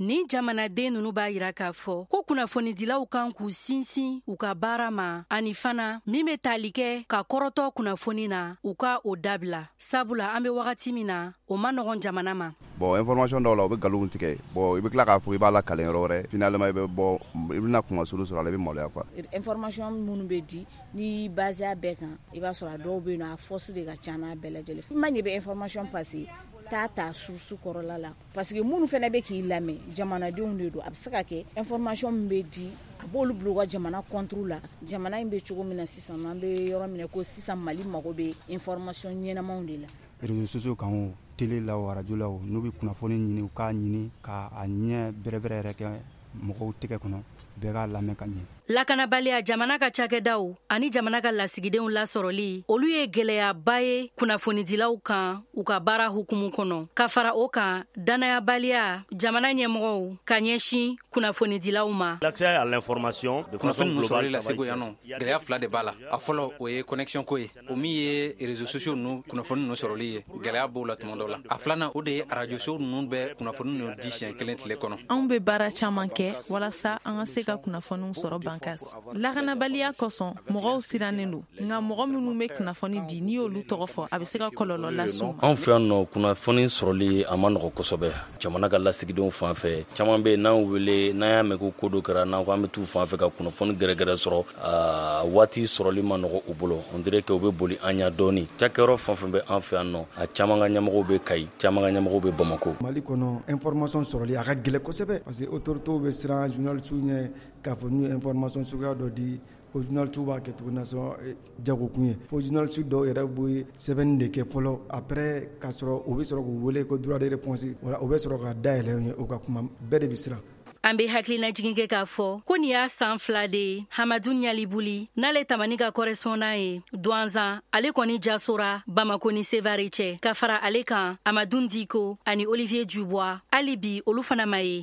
Nin jamanaden ninnu b'a yira k'a fɔ ko kunnafonidilaw kan k'u sinsin u ka baara ma, ani fana min bɛ tali kɛ ka kɔrɔtɔ kunnafoni na, u ka o dabila, sabula an bɛ wagati min na, o man nɔgɔn jamana ma. Bon, information dɔw la, u bɛ nkalon tigɛ. Bon, i bɛ tila k'a fɔ i b'a la kalen yɔrɔ wɛrɛ. Finalement, i bɛ bɔ, i bɛna kumasulu sɔrɔ a la, i bɛ maloya quoi. Information minnu bɛ di, n'i basé a bɛɛ kan, i b'a sɔrɔ a dɔw bɛ yen nɔ, a fausse de ka ca n'a bɛɛ lajɛlen. I ma ɲɛ bɛ information passer, taa ta source kɔrɔla la, parce que minnu fana bɛ k'i lamɛn, jamanadenw de don. A bɛ se ka kɛ information min bɛ di, a b'olu bila u ka jamana contre la. Jamana in bɛ cogo min na sisan, an bɛ yɔrɔ min na ko sisan, Mali mago bɛ information ɲɛnamaw de la. Réseaux sociaux kan o, télé la o, radio la o, n'u bɛ kunnafoni ɲini, u k'a ɲini k'a ɲɛ bɛrɛbɛrɛ yɛrɛ kɛ mɔgɔw tɛgɛ kɔnɔ, bɛɛ k'a lamɛn ka ɲɛ. Lakanabaliya, jamana ka cakɛdaw ani jamana ka lasigidenw lasɔrɔli, olu ye gwɛlɛyaba ye kunnafonidilaw kan u ka baara hukumu kɔnɔ. Ka fara o kan, dannayabaliya jamana ɲɛmɔgɔw ka ɲɛsin kunnafonidilaw ma. L'accès à l'information de façon Kunnafoni ninnu globale, sɔrɔli la ça va Segu yan nɔ, gɛlɛya fila de b'a la. A fɔlɔ, o ye connexion ko ye, o min ye réseaux sociaux ninnu kunnafoni ninnu sɔrɔli ye, gɛlɛya b'o la tuma dɔw la. A filanan, o de ye radio so ninnu bɛ kunnafoni ninnu di siɲɛ kelen tile kɔnɔ. Anw bɛ baara caman kɛ walasa an ka se ka kunnafoniw sɔrɔ. Bankas lakanabaliya kosɔn, mɔgɔw sirannen don, nka mɔgɔ minnu bɛ kunnafoni di, n'i y'olu tɔgɔ fɔ, a bɛ se ka kɔlɔlɔ las'u ma. Anw fɛ yan nɔ, kunnafoni sɔrɔli a ma nɔgɔ kosɛbɛ. Jamana ka lasigidenw fan fɛ, caman bɛ yen, n'an wele, n'an y'a mɛn ko ko dɔ kɛra, n'an ko an bɛ t'u fan fɛ ka kunnafoni gɛrɛgɛrɛ sɔrɔ, waati sɔrɔli ma nɔgɔ u bolo. On dirait que u bɛ boli an ɲɛ dɔɔni. Cakɛyɔrɔ fɛn fɛn bɛ an fɛ yan nɔ, a caman ka ɲɛmɔgɔw bɛ Kayi, caman ka ɲɛmɔgɔw bɛ Bamako. Mali kɔnɔ, information sɔrɔli a ka gɛlɛn kosɛbɛ, parce que autorités bɛ siran journalistes ɲɛ k'a fɔ n'u ye information suguya dɔ di ko journalistes b'a kɛ cogo nasɔn jagokun ye, fo journalistes dɔw yɛrɛ bɛ sɛbɛnni de kɛ fɔlɔ, après k'a sɔrɔ u bɛ sɔrɔ k'u wele ko droit de réponse wala u bɛ sɔrɔ ka dayɛlɛ ye u ka kuma. Bɛɛ de bɛ siran. An be hakilinajigin kɛ k'a fɔ ko nin y'a san 2 de ye, Hamadu Ɲalibuli, n'ale Tamani ka correspondant ye Duwanzan, ale kɔni jasora Bamako ni Sevare cɛ. Ka fara ale kan, Amadun Diko ani Olivier Dubois, hali bi olu fana ma ye.